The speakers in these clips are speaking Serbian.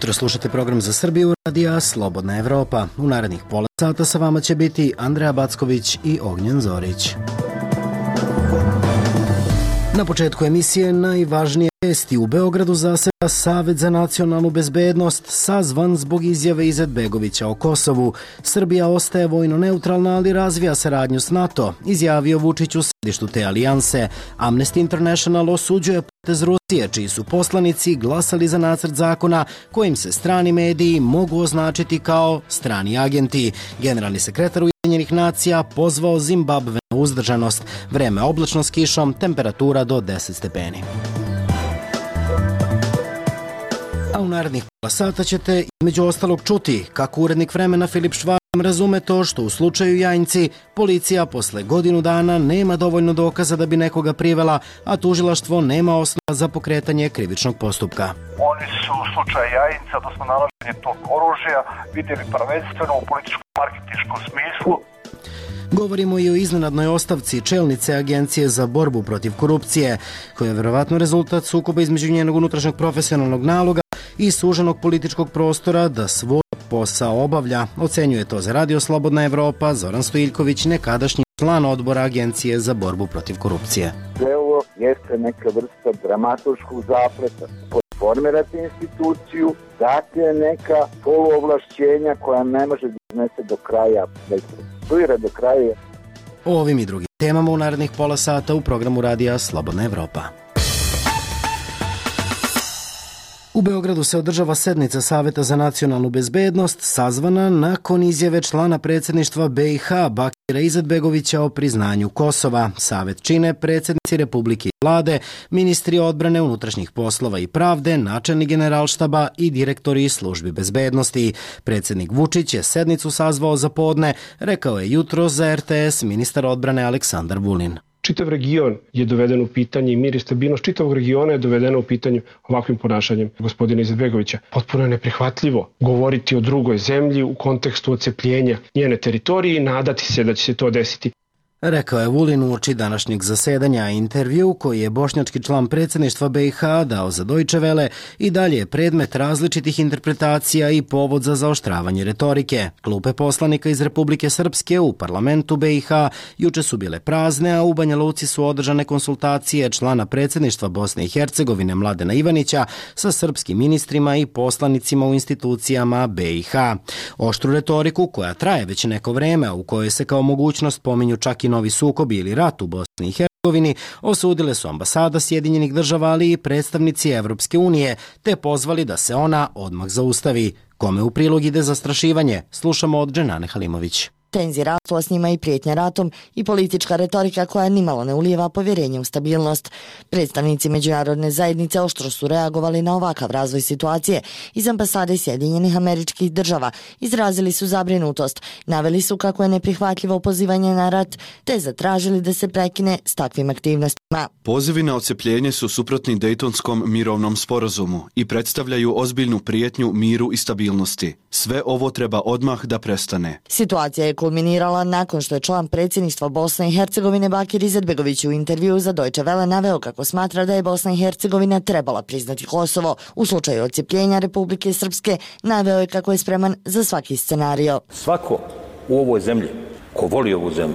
jutro, slušate program za Srbiju radija Slobodna Evropa. U narednih pola sata sa vama će biti Andreja Backović i Ognjen Zorić. Na početku emisije najvažnije vesti. U Beogradu zaseda Savet za nacionalnu bezbednost, sazvan zbog izjave Izetbegovića o Kosovu. Srbija ostaje vojno neutralna, ali razvija saradnju s NATO, izjavio Vučić u središtu te alijanse. Amnesty International osuđuje potez Rusije, čiji su poslanici glasali za nacrt zakona kojim se strani mediji mogu označiti kao strani agenti. Generalni sekretar Ujedinjenih nacija pozvao Zimbabve na uzdržanost. Vreme oblačno s kišom, temperatura do 10 stepeni. A u narednih pola sata ćete između ostalog čuti kako urednik Vremena Filip Švarm razume to što u slučaju Jajinci policija posle godinu dana nema dovoljno dokaza da bi nekoga privela, a tužilaštvo nema osnova za pokretanje krivičnog postupka. Oni su u slučaju Jajinca, odnosno nalaženje tog oružja, vidjeli prvenstveno u političko-marketinškom smislu. Govorimo i o iznenadnoj ostavci čelnice Agencije za borbu protiv korupcije, koja je verovatno rezultat sukoba između njenog unutrašnjeg profesionalnog naloga i suženog političkog prostora da svoj posao obavlja. Ocenjuje to za Radio Slobodna Evropa Zoran Stojiljković, nekadašnji član odbora Agencije za borbu protiv korupcije. Sve ovo jeste neka vrsta dramaturškog zapleta. Formirati instituciju, dati je neka poluovlašćenja koja ne može da iznese do kraja, da isprocesuira do kraja. O ovim i drugim temama u narednih pola sata u programu Radija Slobodna Evropa. U Beogradu se održava sednica Saveta za nacionalnu bezbednost, sazvana nakon izjave člana predsjedništva BiH Bakira Izetbegovića o priznanju Kosova. Savet čine predsjednici Republike i vlade, ministri odbrane, unutrašnjih poslova i pravde, načelnik generalštaba i direktori službi bezbednosti. Predsjednik Vučić je sednicu sazvao za podne, rekao je jutros za RTS ministar odbrane Aleksandar Vulin. Čitav region je doveden u pitanje i mir i stabilnost čitavog regiona je dovedeno u pitanje ovakvim ponašanjem gospodina Izetbegovića. Potpuno je neprihvatljivo govoriti o drugoj zemlji u kontekstu odcepljenja njene teritorije i nadati se da će se to desiti. Rekao je Vulin uoči današnjeg zasedanja. Intervju koji je bošnjački član predsjedništva BiH dao za Deutsche Welle i dalje je predmet različitih interpretacija i povod za zaoštravanje retorike. Klupe poslanika iz Republike Srpske u parlamentu BiH juče su bile prazne, a u Banja Luci su održane konsultacije člana predsjedništva Bosne i Hercegovine Mladena Ivanića sa srpskim ministrima i poslanicima u institucijama BiH. Oštru retoriku koja traje već neko vreme, u kojoj se kao mogućnost pominju čak i novi sukobi ili rat u Bosni i Hercegovini, osudile su ambasada Sjedinjenih država, ali i predstavnici Evropske unije, te pozvali da se ona odmah zaustavi. Kome u prilog ide zastrašivanje? Slušamo od Dženane Halimović. Tenzije rastu, a s njima i prijetnja ratom i politička retorika koja nimalo ne ulijeva povjerenje u stabilnost. Predstavnici međunarodne zajednice oštro su reagovali na ovakav razvoj situacije. Iz ambasade Sjedinjenih Američkih Država izrazili su zabrinutost, naveli su kako je neprihvatljivo pozivanje na rat, te zatražili da se prekine s takvim aktivnostima. Pozivi na odcepljenje su suprotni Dejtonskom mirovnom sporazumu i predstavljaju ozbiljnu prijetnju miru i stabilnosti. Sve ovo treba odmah da prestane. Situacija je kulminirala nakon što je član predsjedništva Bosne i Hercegovine Bakir Izetbegović u intervjuu za Deutsche Welle naveo kako smatra da je Bosna i Hercegovina trebala priznati Kosovo. U slučaju odcepljenja Republike Srpske naveo je kako je spreman za svaki scenario. Svako u ovoj zemlji ko voli ovu zemlju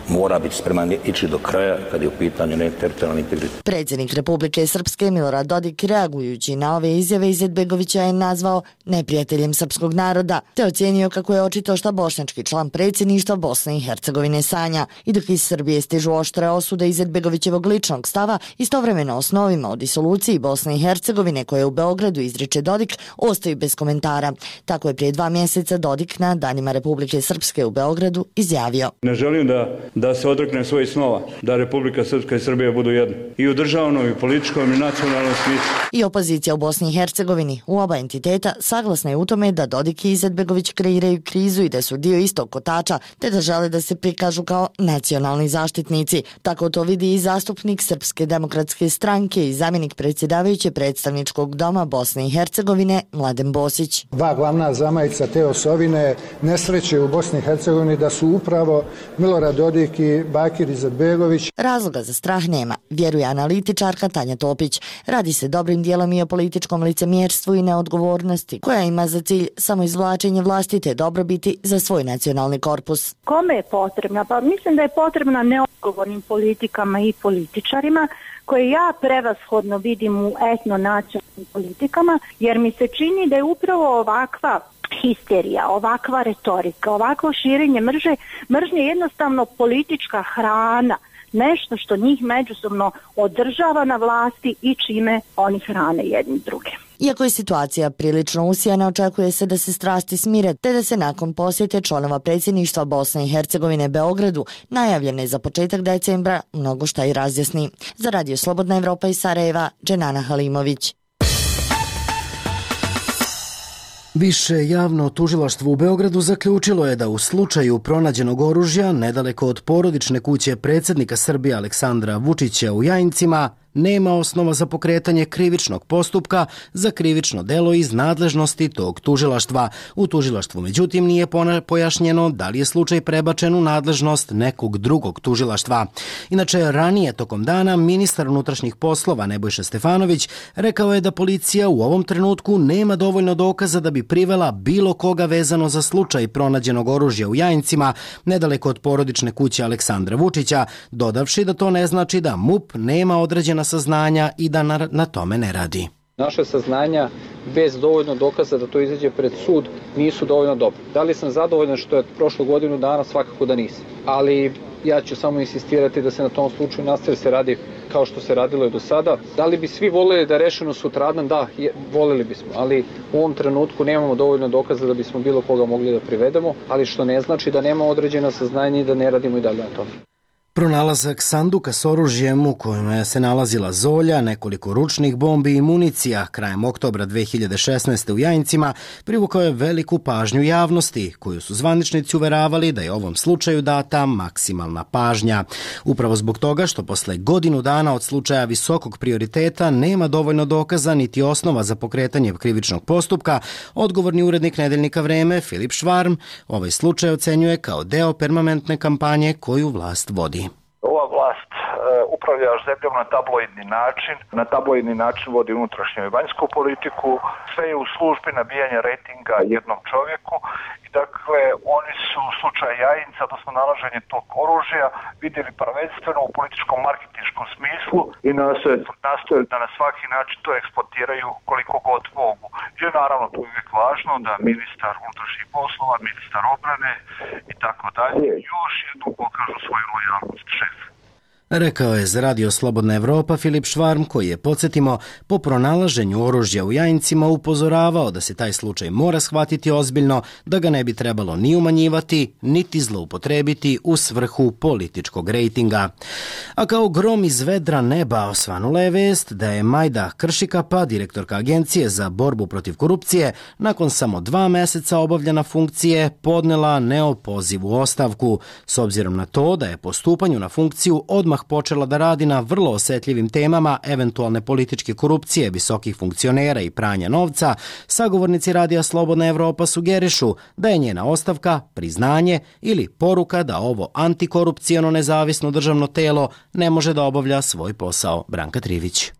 mora biti spreman ići do kraja kad je u pitanju teritorijalni integritet. Predsjednik Republike Srpske Milorad Dodik reagujući na ove izjave Izetbegovića je nazvao neprijateljem srpskog naroda, te ocijenio kako je očito šta bošnjački član predsjedništva Bosne i Hercegovine sanja. I dok iz Srbije stižu oštre osude Izetbegovićevog ličnog stava, istovremeno osnovima o disoluciji Bosne i Hercegovine koje u Beogradu izriče Dodik ostaju bez komentara. Tako je prije 2 mjeseca Dodik na Danima Republike Srpske u Beogradu izjavio. Ne želim da se odreknem svojih snova, da Republika Srpska i Srbija budu jedno. I u državnom, i političkom, i nacionalnom smislu. I opozicija u Bosni i Hercegovini u oba entiteta saglasna je u tome da Dodik i Izetbegović kreiraju krizu i da su dio istog kotača, te da žele da se prikažu kao nacionalni zaštitnici. Tako to vidi i zastupnik Srpske demokratske stranke i zamjenik predsjedavajuće predstavničkog doma Bosne i Hercegovine Mladen Bosić. Dva glavna zamajca te osovine nesreće u Bosni i Hercegovini da su upravo Milorad Dodik majki Bakir Izetbegović. Razloga za strah nema, vjeruje analitičarka Tanja Topić. Radi se dobrim dijelom i o političkom licemjerstvu i neodgovornosti, koja ima za cilj samo izvlačenje vlastite dobrobiti za svoj nacionalni korpus. Kome je potrebna? Pa mislim da je potrebna neodgovornim politikama i političarima, koje ja prevashodno vidim u etno-nacionalnim politikama, jer mi se čini da je upravo ovakva histerija, ovakva retorika, ovakvo širenje mržnje jednostavno politička hrana, nešto što njih međusobno održava na vlasti i čime oni hrane jedni druge. Iako je situacija prilično usijana, očekuje se da se strasti smire, te da se nakon posjete članova predsjedništva Bosne i Hercegovine Beogradu, najavljene za početak decembra, mnogo šta i razjasni. Za Radio Slobodna Evropa iz Sarajeva, Dženana Halimović. Više javno tužilaštvo u Beogradu zaključilo je da u slučaju pronađenog oružja nedaleko od porodične kuće predsjednika Srbije Aleksandra Vučića u Jajincima nema osnova za pokretanje krivičnog postupka za krivično delo iz nadležnosti tog tužilaštva. U tužilaštvu međutim nije pojašnjeno da li je slučaj prebačen u nadležnost nekog drugog tužilaštva. Inače, ranije tokom dana ministar unutrašnjih poslova Nebojša Stefanović rekao je da policija u ovom trenutku nema dovoljno dokaza da bi privela bilo koga vezano za slučaj pronađenog oružja u Jajincima nedaleko od porodične kuće Aleksandra Vučića, dodavši da to ne znači da MUP nema određena saznanja i da na tome ne radi. Naše saznanja bez dovoljno dokaza da to izađe pred sud nisu dovoljno dobro. Da li sam zadovoljan što je prošlo godinu dana? Svakako da nisam. Ali ja ću samo insistirati da se na tom slučaju nastavi se radi kao što se radilo i do sada. Da li bi svi voljeli da je rešeno sutradan? Da, voljeli bismo, ali u ovom trenutku nemamo dovoljno dokaza da bismo bilo koga mogli da privedemo, ali što ne znači da nema određena saznanja i da ne radimo i dalje na tome. Pronalazak sanduka s oružjem u kojem se nalazila zolja, nekoliko ručnih bombi i municija krajem oktobra 2016. u Jajincima privukao je veliku pažnju javnosti, koju su zvaničnici uveravali da je ovom slučaju data maksimalna pažnja. Upravo zbog toga što posle godinu dana od slučaja visokog prioriteta nema dovoljno dokaza niti osnova za pokretanje krivičnog postupka, odgovorni urednik nedeljnika Vreme Filip Švarm ovaj slučaj ocenjuje kao deo permanentne kampanje koju vlast vodi. Ova vlast upravlja zemljom na tabloidni način vodi unutrašnju i vanjsku politiku, sve je u službi nabijanja rejtinga jednom čovjeku i dakle oni su u slučaju Jajinca, odnosno nalaženje tog oružja, vidjeli prvenstveno u političkom marketinškom smislu i nastoje da na svaki način to eksploatiraju koliko god mogu. I naravno tu je uvijek važno da ministar unutrašnjih poslova, ministar obrane i tako dalje još jednom pokažu svoju lojalnost šefu. Rekao je za Radio Slobodna Evropa Filip Švarm, koji je, podsjetimo, po pronalaženju oružja u Jajincima upozoravao da se taj slučaj mora shvatiti ozbiljno, da ga ne bi trebalo ni umanjivati, niti zloupotrebiti u svrhu političkog rejtinga. A kao grom iz vedra neba osvanula je vest da je Majda Kršikapa, direktorka Agencije za borbu protiv korupcije, nakon samo 2 meseca obavljanja funkcije podnela neopozivu ostavku, s obzirom na to da je po stupanju na funkciju odmah počela da radi na vrlo osjetljivim temama eventualne političke korupcije, visokih funkcionera i pranja novca. Sagovornici Radija Slobodna Evropa sugerišu da je njena ostavka priznanje ili poruka da ovo antikorupcijono nezavisno državno telo ne može da obavlja svoj posao. Branka Trivić.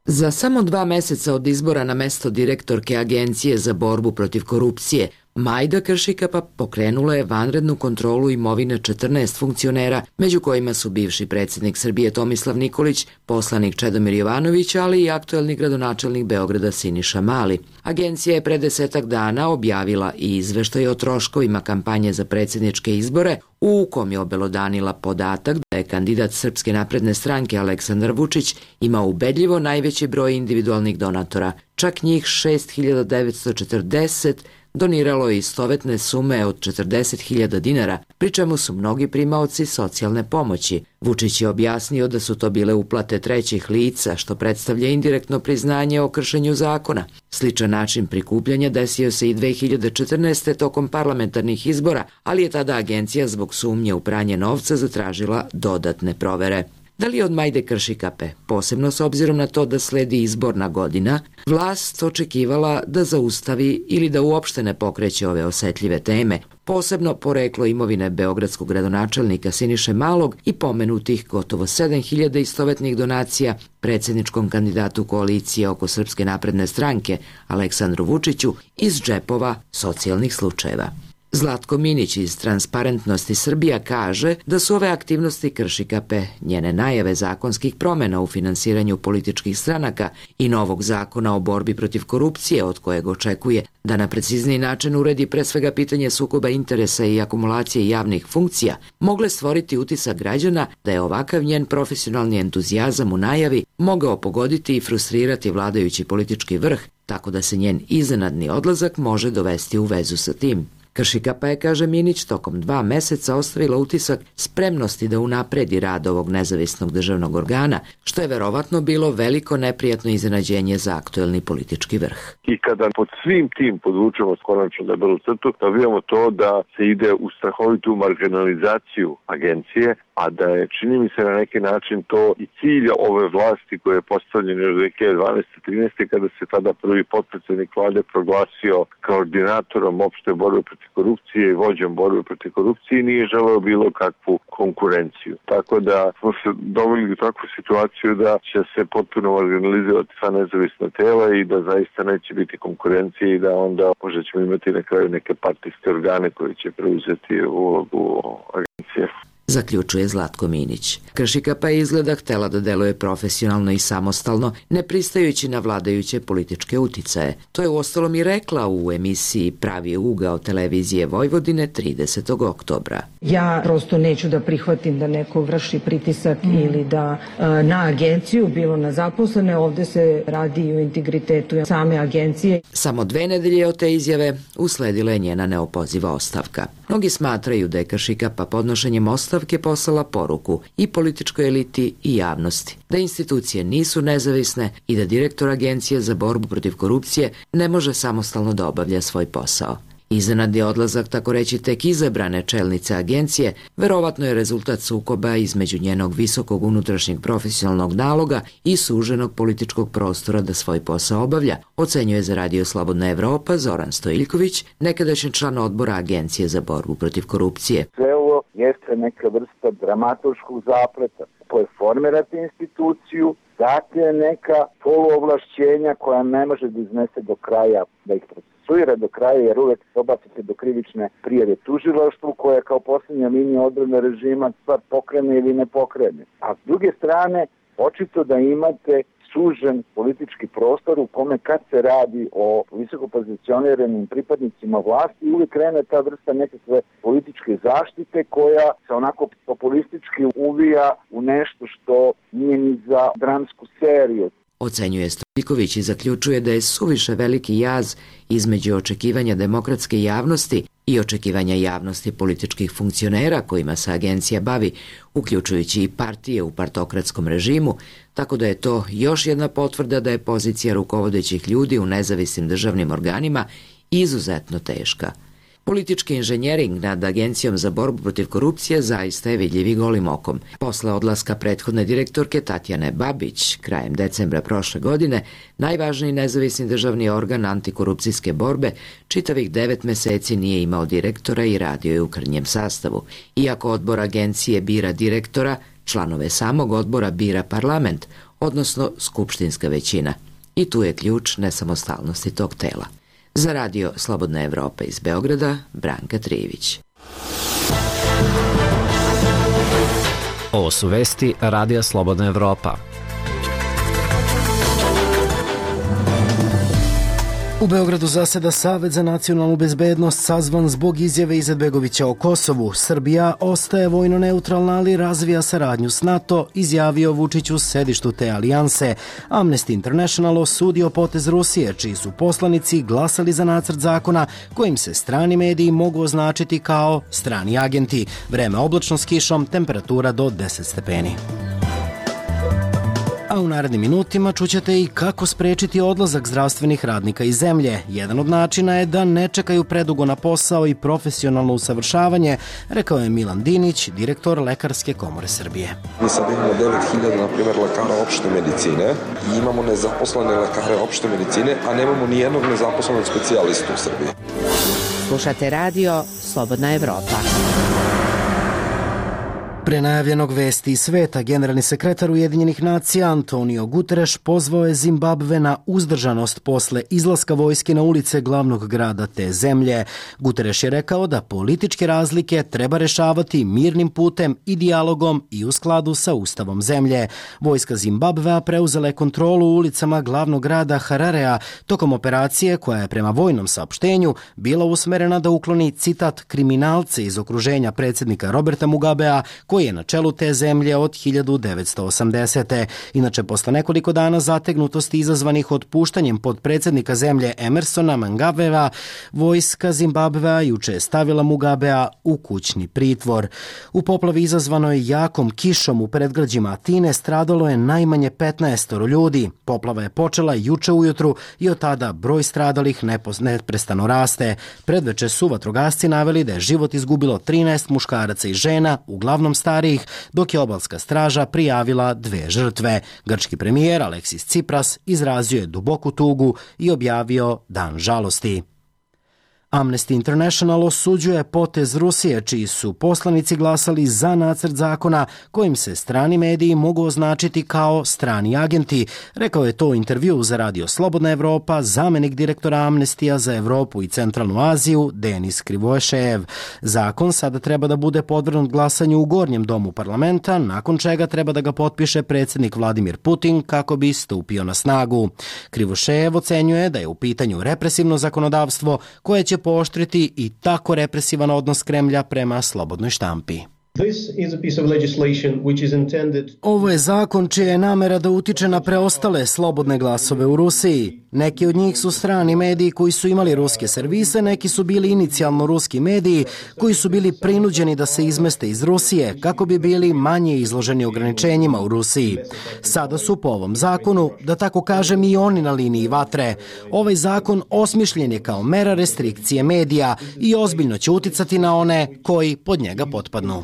Za samo 2 meseca od izbora na mesto direktorke Agencije za borbu protiv korupcije, Majda Kršikapa pokrenula je vanrednu kontrolu imovine 14 funkcionera, među kojima su bivši predsjednik Srbije Tomislav Nikolić, poslanik Čedomir Jovanović, ali i aktuelni gradonačelnik Beograda Siniša Mali. Agencija je pre 10 dana objavila i izveštaj o troškovima kampanje za predsjedničke izbore, u kom je obelodanila podatak da je kandidat Srpske napredne stranke Aleksandar Vučić imao ubedljivo najveći broj individualnih donatora, čak njih 6.940, doniralo je istovetne sume od 40.000 dinara, pri čemu su mnogi primaoci socijalne pomoći. Vučić je objasnio da su to bile uplate trećih lica, što predstavlja indirektno priznanje o kršenju zakona. Sličan način prikupljanja desio se i 2014. tokom parlamentarnih izbora, ali je tada agencija zbog sumnje u pranje novca zatražila dodatne provere. Da li od Majde Kršikape, posebno s obzirom na to da sledi izborna godina, vlast očekivala da zaustavi ili da uopšte ne pokreće ove osetljive teme, posebno poreklo imovine beogradskog gradonačelnika Siniše Malog i pomenutih gotovo 7.000 istovetnih donacija predsjedničkom kandidatu koalicije oko Srpske napredne stranke Aleksandru Vučiću iz džepova socijalnih slučajeva. Zlatko Minić iz Transparentnosti Srbija kaže da su ove aktivnosti Kršikape, njene najave zakonskih promjena u finansiranju političkih stranaka i novog zakona o borbi protiv korupcije od kojeg očekuje da na precizniji način uredi pre svega pitanje sukoba interesa i akumulacije javnih funkcija, mogle stvoriti utisak građana da je ovakav njen profesionalni entuzijazam u najavi mogao pogoditi i frustrirati vladajući politički vrh, tako da se njen iznenadni odlazak može dovesti u vezu sa tim. Kršikapa je, kaže Minić, tokom 2 meseca ostavila utisak spremnosti da unapredi rad ovog nezavisnog državnog organa, što je verovatno bilo veliko neprijatno iznenađenje za aktuelni politički vrh. I kada pod svim tim podvučemo konačno debelu crtu, dobijamo to da se ide u strahovitu marginalizaciju agencije, a da je, čini mi se na neki način, to i cilj ove vlasti koje je postavljen još 2012-13. kada se tada prvi potpredsjednik vlade proglasio koordinatorom opšte borbe protiv korupcije i vođom borbe protiv korupcije, nije želeo bilo kakvu konkurenciju. Tako da smo se doveli u takvu situaciju da će se potpuno marginalizovati sva nezavisna tela i da zaista neće biti konkurencije i da onda možda ćemo imati na kraju neke partijske organe koji će preuzeti ulogu agencije. Zaključuje Zlatko Minić. Kršikapa je izgleda htela da deluje profesionalno i samostalno, ne pristajući na vladajuće političke uticaje. To je uostalom i rekla u emisiji Pravi ugao televizije Vojvodine 30. oktobra. Ja prosto neću da prihvatim da neko vrši pritisak ili da na agenciju, bilo na zaposlene, ovde se radi i o integritetu same agencije. Samo 2 nedelje od te izjave usledila je njena neopoziva ostavka. Mnogi smatraju da je Kršikapa podnošenjem ostavke poslala poruku i političkoj eliti i javnosti, da institucije nisu nezavisne i da direktor Agencije za borbu protiv korupcije ne može samostalno da obavlja svoj posao. Iznenadni odlazak, tako reći, tek izabrane čelnice agencije, verovatno je rezultat sukoba između njenog visokog unutrašnjeg profesionalnog naloga i suženog političkog prostora da svoj posao obavlja, ocenjuje za Radio Slobodna Evropa Zoran Stojiljković, nekadašnji član odbora Agencije za borbu protiv korupcije. Sve ovo jeste neka vrsta dramaturškog zapleta. Formirate instituciju, date neka poluovlašćenja koja ne može da iznese do kraja, da ih procesuira do kraja, jer uvek dobacite do krivične prijave tužilaštvu koja kao posljednja linija odbrane režima stvar pokrene ili ne pokrene. A s druge strane, očito da imate sužen politički prostor u kome kad se radi o visoko pozicioniranim pripadnicima vlasti uvijek krene ta vrsta nekakve političke zaštite koja se onako populistički uvija u nešto što nije ni za dramsku seriju. Ocenjuje Stojiljković i zaključuje da je suviše veliki jaz između očekivanja demokratske javnosti i očekivanja javnosti političkih funkcionera kojima se agencija bavi, uključujući i partije u partokratskom režimu, tako da je to još jedna potvrda da je pozicija rukovodećih ljudi u nezavisnim državnim organima izuzetno teška. Politički inženjering nad Agencijom za borbu protiv korupcije zaista je vidljiv i golim okom. Posle odlaska prethodne direktorke Tatjane Babić, krajem decembra prošle godine, najvažniji nezavisni državni organ antikorupcijske borbe čitavih 9 meseci nije imao direktora i radio je u krnjem sastavu. Iako odbor agencije bira direktora, članove samog odbora bira parlament, odnosno skupštinska većina. I tu je ključ nesamostalnosti tog tela. Za Radio Slobodna Evropa iz Beograda, Branka Trijević. Ovo su vesti Radija Slobodna Evropa. U Beogradu zaseda Savet za nacionalnu bezbednost sazvan zbog izjave Izetbegovića o Kosovu. Srbija ostaje vojno neutralna, ali razvija saradnju s NATO, izjavio Vučić u sedištu te alijanse. Amnesty International osudio potez Rusije, čiji su poslanici glasali za nacrt zakona kojim se strani mediji mogu označiti kao strani agenti. Vreme oblačno s kišom, temperatura do 10 stepeni. A u narednim minutima čućete i kako sprečiti odlazak zdravstvenih radnika iz zemlje. Jedan od načina je da ne čekaju predugo na posao i profesionalno usavršavanje, rekao je Milan Dinić, direktor Lekarske komore Srbije. Mi sad imamo 9000, na primjer, lekara opšte medicine i imamo nezaposlene lekare opšte medicine, a nemamo ni jednog nezaposlenog specijalistu u Srbiji. Slušate radio Slobodna Evropa. Pre najavljenog vesti iz sveta, generalni sekretar Ujedinjenih nacija Antonio Guterres pozvao je Zimbabve na uzdržanost posle izlaska vojske na ulice glavnog grada te zemlje. Guterres je rekao da političke razlike treba rešavati mirnim putem i dijalogom i u skladu sa ustavom zemlje. Vojska Zimbabvea preuzela je kontrolu u ulicama glavnog grada Hararea tokom operacije koja je prema vojnom saopštenju bila usmerena da ukloni, citat, kriminalce iz okruženja predsjednika Roberta Mugabea, koji je na čelu te zemlje od 1980. Inače, posle nekoliko dana zategnutosti izazvanih otpuštanjem podpredsjednika zemlje Emersona Mnangagwea, vojska Zimbabvea juče je stavila Mugabea u kućni pritvor. U poplavi izazvanoj jakom kišom u predgrađima Atine stradalo je najmanje 15 ljudi. Poplava je počela juče ujutru i od tada broj stradalih neprestano raste. Predveče su vatrogasci naveli da je život izgubilo 13 muškaraca i žena, uglavnom starijih, dok je obalska straža prijavila 2 žrtve. Grčki premijer Aleksis Tsipras izrazio je duboku tugu i objavio dan žalosti. Amnesty International osuđuje potez Rusije, čiji su poslanici glasali za nacrt zakona kojim se strani mediji mogu označiti kao strani agenti. Rekao je to u intervjuu za radio Slobodna Evropa zamenik direktora Amnestija za Evropu i Centralnu Aziju Denis Krivošejev. Zakon sada treba da bude podvrgnut glasanju u gornjem domu parlamenta, nakon čega treba da ga potpiše predsjednik Vladimir Putin kako bi stupio na snagu. Krivošejev ocenjuje da je u pitanju represivno zakonodavstvo koje će pooštriti i tako represivan odnos Kremlja prema slobodnoj štampi. Ovo je zakon čija je namera da utiče na preostale slobodne glasove u Rusiji. Neki od njih su strani mediji koji su imali ruske servise, neki su bili inicijalno ruski mediji koji su bili prinuđeni da se izmeste iz Rusije kako bi bili manje izloženi ograničenjima u Rusiji. Sada su po ovom zakonu, da tako kažem, i oni na liniji vatre. Ovaj zakon osmišljen je kao mera restrikcije medija i ozbiljno će uticati na one koji pod njega potpadnu.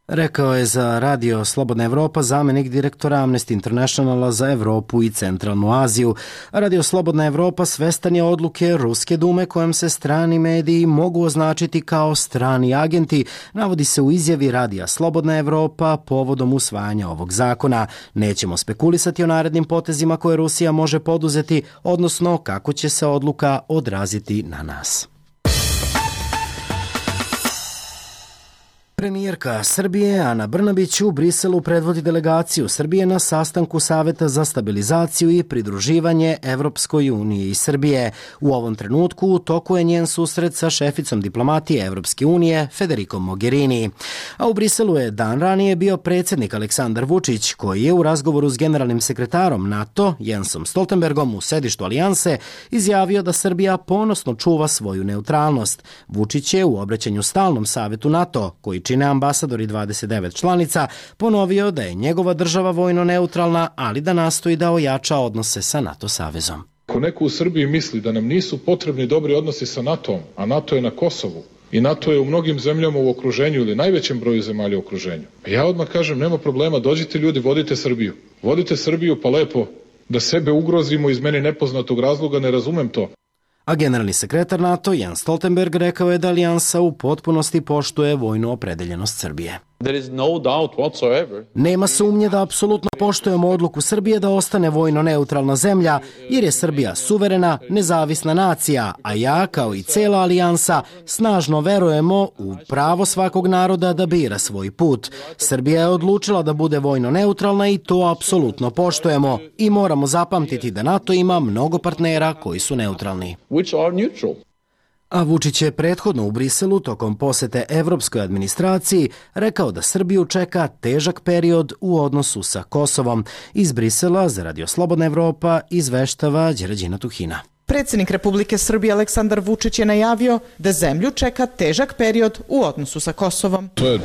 Rekao je za radio Slobodna Evropa zamenik direktora Amnesty Internationala za Evropu i Centralnu Aziju. Radio Slobodna Evropa svestan je odluke Ruske dume kojom se strani mediji mogu označiti kao strani agenti, navodi se u izjavi radija Slobodna Evropa povodom usvajanja ovog zakona. Nećemo spekulisati o narednim potezima koje Rusija može poduzeti, odnosno kako će se odluka odraziti na nas. Premijerka Srbije Ana Brnabić u Briselu predvodi delegaciju Srbije na sastanku Saveta za stabilizaciju i pridruživanje Evropskoj uniji i Srbije. U ovom trenutku u toku je njen susret sa šeficom diplomatije Evropske unije Federikom Mogherini. A u Briselu je dan ranije bio predsjednik Aleksandar Vučić, koji je u razgovoru s generalnim sekretarom NATO Jensom Stoltenbergom u sedištu Alijanse izjavio da Srbija ponosno čuva svoju neutralnost. Vučić je u obraćanju stalnom savetu NATO, koji čine ambasadori 29 članica, ponovio da je njegova država vojno neutralna, ali da nastoji da ojača odnose sa NATO savezom. Ako neko u Srbiji misli da nam nisu potrebni dobri odnosi sa NATO-om, a NATO je na Kosovu i NATO je u mnogim zemljama u okruženju ili najvećem broju zemalja u okruženju, ja odmah kažem, nema problema, dođite ljudi, vodite Srbiju. Vodite Srbiju pa lepo, da sebe ugrozimo iz meni nepoznatog razloga, ne razumem to. A generalni sekretar NATO Jens Stoltenberg rekao je da alijansa u potpunosti poštuje vojnu opredeljenost Srbije. Nema sumnje da apsolutno poštujemo odluku Srbije da ostane vojno neutralna zemlja, jer je Srbija suverena, nezavisna nacija, a ja, kao i cela alijansa, snažno verujemo u pravo svakog naroda da bira svoj put. Srbija je odlučila da bude vojno neutralna i to apsolutno poštujemo. I moramo zapamtiti da NATO ima mnogo partnera koji su neutralni. A Vučić je prethodno u Briselu tokom posete evropskoj administraciji rekao da Srbiju čeka težak period u odnosu sa Kosovom. Iz Brisela za radio Slobodna Evropa izveštava Đerađina Tuhina. Predsjednik Republike Srbije Aleksandar Vučić je najavio da zemlju čeka težak period u odnosu sa Kosovom. To je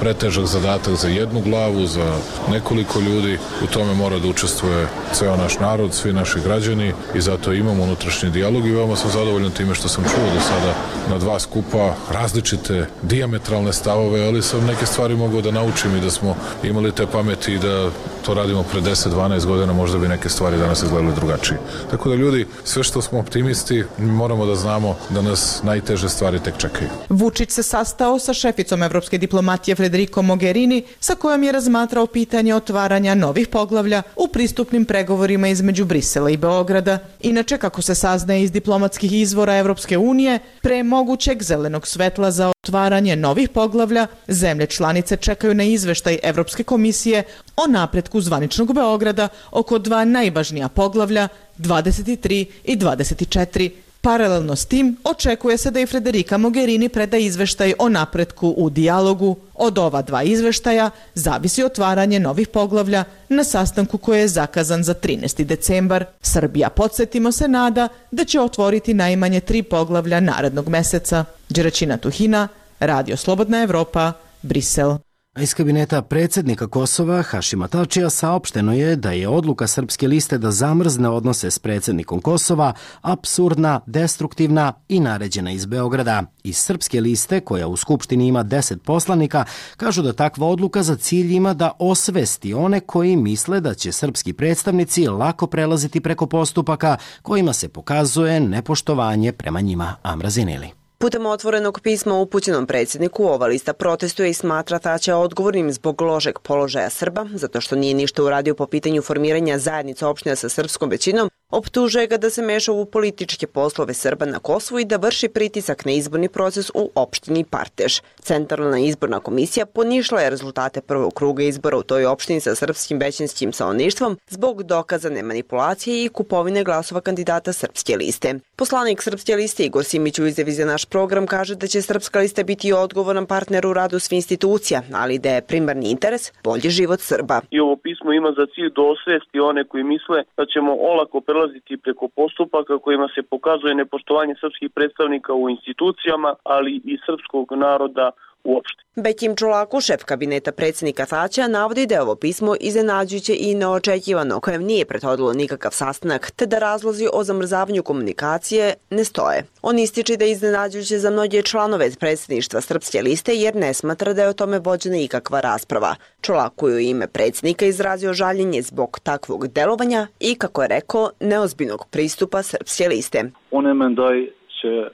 pretežak zadatak za jednu glavu, za nekoliko ljudi. U tome mora da učestvuje ceo naš narod, svi naši građani i zato imamo unutrašnji dijalog i veoma sam zadovoljan time što sam čuo do sada na dva skupa različite dijametralne stavove, ali sam neke stvari mogao da naučim i da smo imali te pameti i da to radimo pre 10-12 godina, možda bi neke stvari danas izgledali drugačije. Tako da ljudi, sve što smo optimisti, moramo da znamo da nas najteže stvari tek čekaju. Vučić se sastao sa šeficom evropske diplomatije Federico Mogherini, sa kojom je razmatrao pitanje otvaranja novih poglavlja u pristupnim pregovorima između Brisela i Beograda. Inače, kako se saznaje iz diplomatskih izvora Evropske unije, pre mogućeg zelenog svetla za otvaranje novih poglavlja, zemlje članice čekaju na izveštaj Evropske komisije o napretku zvaničnog Beograda oko dva najvažnija poglavlja, 23 i 24. Paralelno s tim, očekuje se da i Federica Mogherini preda izveštaj o napretku u dijalogu. Od ova dva izveštaja zavisi otvaranje novih poglavlja na sastanku koji je zakazan za 13. decembar. Srbija, podsjetimo se, nada da će otvoriti najmanje 3 poglavlja narednog meseca. Đeračina Tuhina, Radio Slobodna Evropa, Brisel. A iz kabineta predsjednika Kosova Hašima Tačija saopšteno je da je odluka Srpske liste da zamrzne odnose s predsjednikom Kosova apsurdna, destruktivna i naređena iz Beograda. Iz Srpske liste, koja u Skupštini ima 10 poslanika, kažu da takva odluka za cilj ima da osvesti one koji misle da će srpski predstavnici lako prelaziti preko postupaka kojima se pokazuje nepoštovanje prema njima. Amra Zineli. Putem otvorenog pisma upućenom predsjedniku, ova lista protestuje i smatra Tačija odgovornim zbog lošeg položaja Srba, zato što nije ništa uradio po pitanju formiranja zajednica opština sa srpskom većinom, optužuje ga da se meša u političke poslove Srba na Kosovu i da vrši pritisak na izborni proces u opštini Partež. Centralna izborna komisija ponišla je rezultate prvog kruga izbora u toj opštini sa srpskim većinskim stanovništvom zbog dokazane manipulacije i kupovine glasova kandidata Srpske liste. Poslanik Srpske liste Igor Simić u izjavi za naš program kaže da će Srpska lista biti odgovoran partner u radu svih institucija, ali da je primarni interes bolji život Srba. I ovo pismo ima za cilj da osvesti one koji misle da ćemo olako prelaziti preko postupaka kojima se pokazuje nepoštovanje srpskih predstavnika u institucijama, ali i srpskog naroda uopšte. Bekim Čolaku, šef kabineta predsjednika Tačija, navodi da je ovo pismo iznenađujuće i neočekivano, kojem nije prethodilo nikakav sastanak, te da razlozi o zamrzavanju komunikacije ne stoje. On ističe da je iznenađujuće za mnoge članove predsjedništva Srpske liste jer ne smatra da je o tome vođena ikakva rasprava. Čolaku je u ime predsjednika izrazio žaljenje zbog takvog delovanja i, kako je rekao, neozbiljnog pristupa Srpske liste.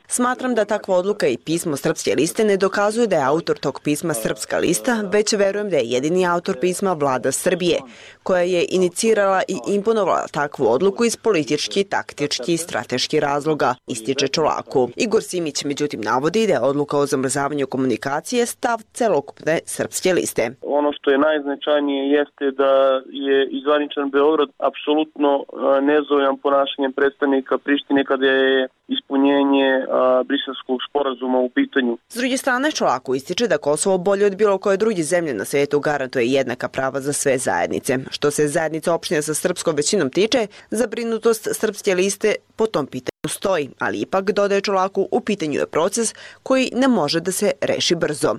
Smatram da takva odluka i pismo Srpske liste ne dokazuju da je autor tog pisma Srpska lista, već verujem da je jedini autor pisma Vlada Srbije, koja je inicirala i imponovala takvu odluku iz politički, taktički i strateški razloga, ističe Čolaku. Igor Simić međutim navodi da je odluka o zamrzavanju komunikacije stav celokupne Srpske liste. Ono što je najznačajnije jeste da je izvaničan Beograd apsolutno nezadovoljan ponašanjem predstavnika Prištine kada je ispunjenje Briselskog sporazuma u pitanju. S druge strane, Čolaku ističe da Kosovo bolje od bilo koje druge zemlje na svijetu garantuje jednaka prava za sve zajednice. Što se zajednica opština sa srpskom većinom tiče, zabrinutost Srpske liste po tom pitanju stoji, ali ipak, dodaje Čolaku, u pitanju je proces koji ne može da se reši brzo.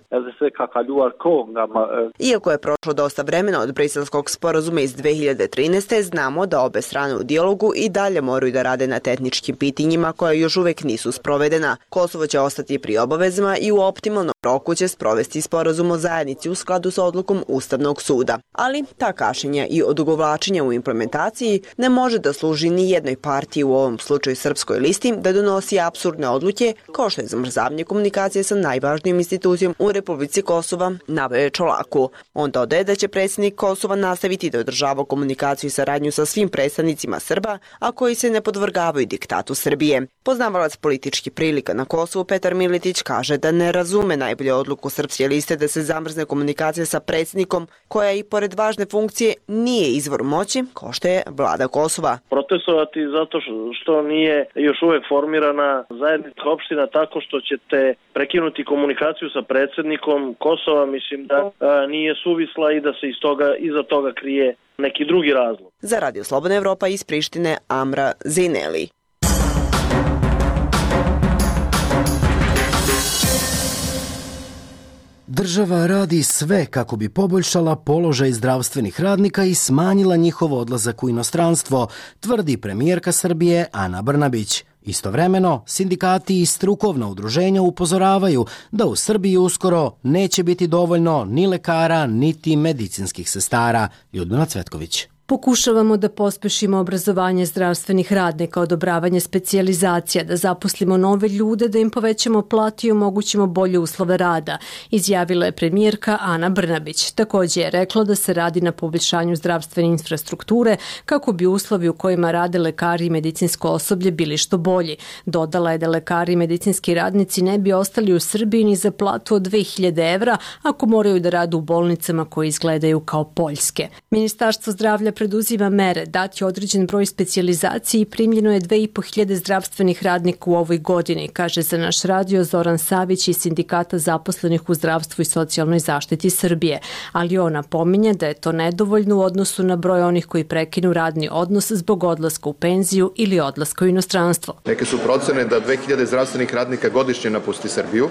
Iako je prošlo dosta vremena od Briselskog sporazuma iz 2013. znamo da obe strane u dijalogu i dalje moraju da rade na tehničkim pitanjima koja još uvek nisu sprovedena. Kosovo će ostati pri obavezama i u optimalnom roku će sprovesti sporazum o zajednici u skladu sa odlukom Ustavnog suda. Ali ta kašnjenja i odugovlačenja u implementaciji ne može da služi ni jednoj partiji, u ovom slučaju Srpskoj listi, da donosi apsurdne odluke kao što je zamrzavanje komunikacije sa najvažnijom institucijom u Republici Kosova, naveo Čolaku. On dodaje da će predsjednik Kosova nastaviti da održava komunikaciju i saradnju sa svim predstavnicima Srba, a koji se ne podvrgavaju diktatu Srbije. Poznavalac političkih prilika na Kosovu Petar Miletić kaže da ne razume najbolje odluku Srpske liste da se zamrzne komunikacija sa predsjednikom, koja i pored važne funkcije nije izvor moći, kao što je vlada Kosova. Protestovati zato što nije još uvek formirana zajednica opština tako što ćete prekinuti komunikaciju sa predsjednikom Kosova, mislim da nije suvisla i da se iza toga krije neki drugi razlog. Za Radio Slobodna Evropa iz Prištine, Amra Zineli. Država radi sve kako bi poboljšala položaj zdravstvenih radnika i smanjila njihov odlazak u inostranstvo, tvrdi premijerka Srbije Ana Brnabić. Istovremeno, sindikati i strukovna udruženja upozoravaju da u Srbiji uskoro neće biti dovoljno ni lekara, niti medicinskih sestara. Ljudmila Cvetković. Pokušavamo da pospešimo obrazovanje zdravstvenih radnika, odobravanje specijalizacija, da zaposlimo nove ljude, da im povećamo platu i omogućimo bolje uslove rada, izjavila je premijerka Ana Brnabić. Također je rekla da se radi na poboljšanju zdravstvene infrastrukture kako bi uslovi u kojima rade lekari i medicinsko osoblje bili što bolji. Dodala je da lekari i medicinski radnici ne bi ostali u Srbiji ni za platu od 2000 evra ako moraju da rade u bolnicama koje izgledaju kao poljske. Ministarstvo zdravlja preduzima mere, dati određen broj specijalizacije i primljeno je 2500 zdravstvenih radnika u ovoj godini, kaže za naš radio Zoran Savić iz Sindikata zaposlenih u zdravstvu i socijalnoj zaštiti Srbije. Ali on napominje da je to nedovoljno u odnosu na broj onih koji prekinu radni odnos zbog odlaska u penziju ili odlaska u inostranstvo. Neke su procene da 2000 zdravstvenih radnika godišnje napusti Srbiju,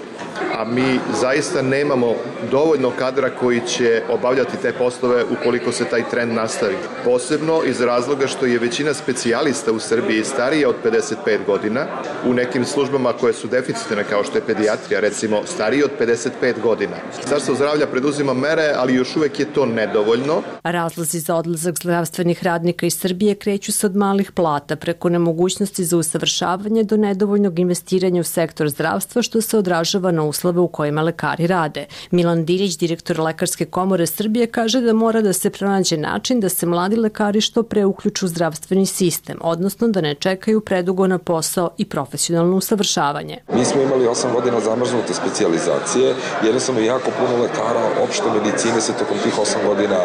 a mi zaista nemamo dovoljno kadra koji će obavljati te poslove ukoliko se taj trend nastavi. Posebno iz razloga što je većina specijalista u Srbiji starija od 55 godina, u nekim službama koje su deficitne kao što je pedijatrija, recimo stariji od 55 godina. Ministarstvo zdravlja preduzima mere, ali još uvek je to nedovoljno. Razlozi za odlazak zdravstvenih radnika iz Srbije kreću se od malih plata preko nemogućnosti za usavršavanje do nedovoljnog investiranja u sektor zdravstva što se odražava na uslove u kojima lekari rade. Milan Dirić, direktor Lekarske komore Srbije, kaže da mora da se pronađe način da se mladi lekari što pre uključu u zdravstveni sistem, odnosno da ne čekaju predugo na posao i profesionalno usavršavanje. Mi smo imali 8 godina zamrznute specijalizacije, jednostavno jako puno lekara opšte medicine se tokom tih 8 godina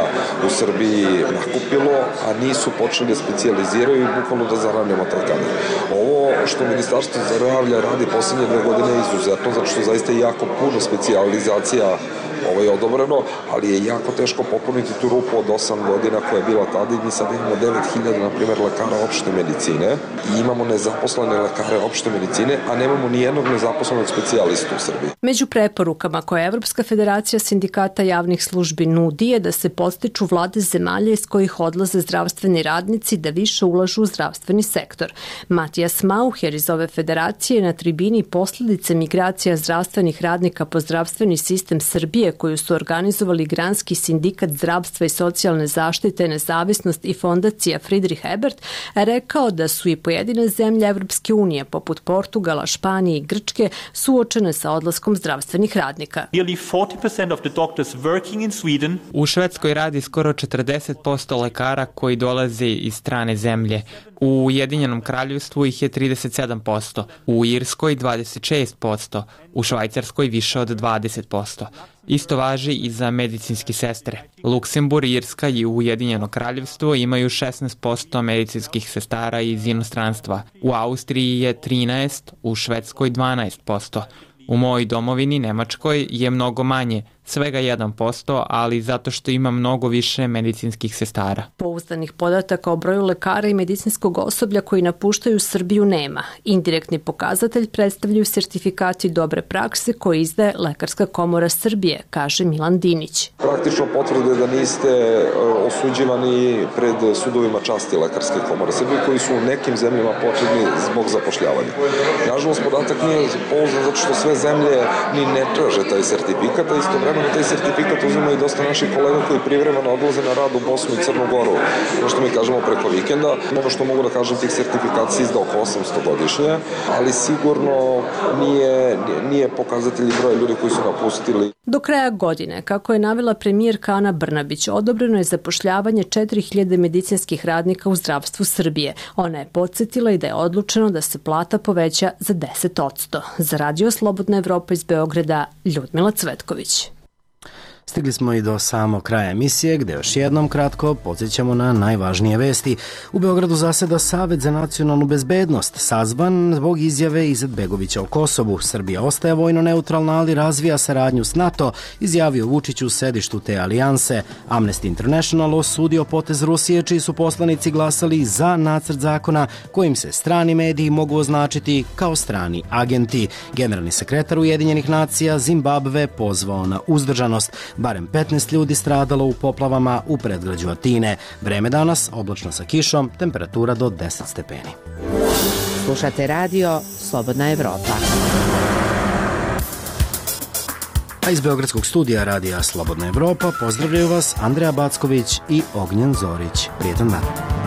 u Srbiji nakupilo, a nisu počeli da specijaliziraju i bukvalno da zaravljamo taj kadar. Ovo što Ministarstvo zdravlja radi poslednje 2 godine je izuzetno, zato što zaista je jako puno specijalizacija ovo je odobreno, ali je jako teško popuniti tu rupu od 8 godina koja je bila tada i mi sad imamo 9000, na primjer, lekara opšte medicine i imamo nezaposlene lekare opšte medicine, a nemamo ni jednog nezaposlenog specijalistu u Srbiji. Među preporukama koje Evropska federacija sindikata javnih službi nudi je da se podstiču vlade zemalja iz kojih odlaze zdravstveni radnici da više ulažu u zdravstveni sektor. Matijas Mauher iz ove federacije na tribini posljedice migracija zdravstvenih radnika po zdravstveni sistem Srbije koju su organizovali Granski sindikat zdravstva i socijalne zaštite, Nezavisnost i fondacija Friedrich Ebert, rekao da su i pojedine zemlje Evropske unije, poput Portugala, Španije i Grčke, suočene sa odlaskom zdravstvenih radnika. U Švedskoj radi skoro 40% lekara koji dolaze iz strane zemlje. U Ujedinjenom kraljevstvu ih je 37%, u Irskoj 26%, u Švajcarskoj više od 20%. Isto važi i za medicinske sestre. Luksemburg, Irska i Ujedinjeno kraljevstvo imaju 16% medicinskih sestara iz inostranstva. U Austriji je 13%, u Švedskoj 12%. U mojoj domovini, Nemačkoj, je mnogo manje, svega 1%, ali zato što ima mnogo više medicinskih sestara. Pouzdanih podataka o broju lekara i medicinskog osoblja koji napuštaju Srbiju nema. Indirektni pokazatelj predstavljaju sertifikati dobre prakse koje izdaje Lekarska komora Srbije, kaže Milan Dinić. Praktično potvrde da niste osuđivani pred sudovima časti Lekarske komore Srbije koji su u nekim zemljama potrebni zbog zapošljavanja. Nažalost, podatak nije pouzdan zato što sve zemlje ni ne traže taj sertifikat, a istovremeno taj sertifikat uzima i dosta naših kolega koji privremeno odlaze na rad u Bosnu i Crnu Goru, ono što mi kažemo preko vikenda. Ono što mogu da kažem, tih sertifikata se izda oko 800 godišnje, ali sigurno nije pokazatelj broja ljudi koji su napustili. Do kraja godine, kako je navela premijerka Ana Brnabić, odobreno je zapošljavanje 4000 medicinskih radnika u zdravstvu Srbije. Ona je podsjetila i da je odlučeno da se plata poveća za 10%. Za radio Slobodna Evropa iz Beograda, Ljudmila Cvetković. Stigli smo i do samog kraja emisije, gde još jednom kratko podsjećamo na najvažnije vesti. U Beogradu zaseda Savet za nacionalnu bezbednost, sazvan zbog izjave Izetbegovića o Kosovu. Srbija ostaje vojno neutralna, ali razvija saradnju s NATO, izjavio Vučić u sedištu te alijanse. Amnesty International osudio potez Rusije, čiji su poslanici glasali za nacrt zakona kojim se strani mediji mogu označiti kao strani agenti. Generalni sekretar Ujedinjenih nacija Zimbabve pozvao na uzdržanost. Barem 15 ljudi stradalo u poplavama u predgrađu Atine. Vreme danas oblačno sa kišom, temperatura do 10 stepeni. Slušate radio Slobodna Evropa. A iz Beogradskog studija radija Slobodna Evropa pozdravljaju vas Andreja Backović i Ognjen Zorić. Prijetan dan.